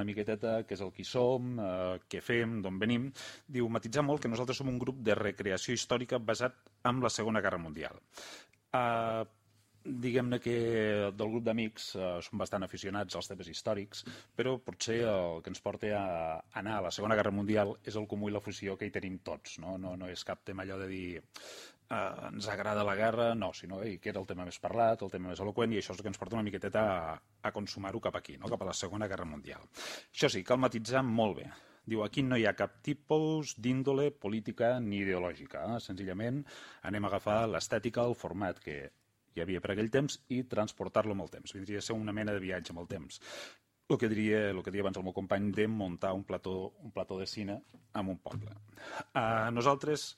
una miqueteta què és el qui som, què fem, d'on venim. Diu, matitzar molt que nosaltres som un grup de recreació històrica basat en la Segona Guerra Mundial. Diguem-ne que del grup d'amics som bastant aficionats als temes històrics, però potser el que ens porta a anar a la Segona Guerra Mundial és el comú i la fusió que hi tenim tots. No és cap tema allò de dir ens agrada la guerra, no, sinó que era el tema més parlat, el tema més eloqüent, i això és el que ens porta una miqueteta a consumar-ho cap aquí, no? Cap a la Segona Guerra Mundial. Això sí, cal matitzar molt bé. Diu, aquí no hi ha cap tipus d'índole política ni ideològica. Senzillament anem a agafar l'estètica, el format que hi havia per aquell temps i transportar-lo amb el temps. Vindria a ser una mena de viatge amb el temps. El que diria abans el meu company de muntar un plató de cine en un poble. Nosaltres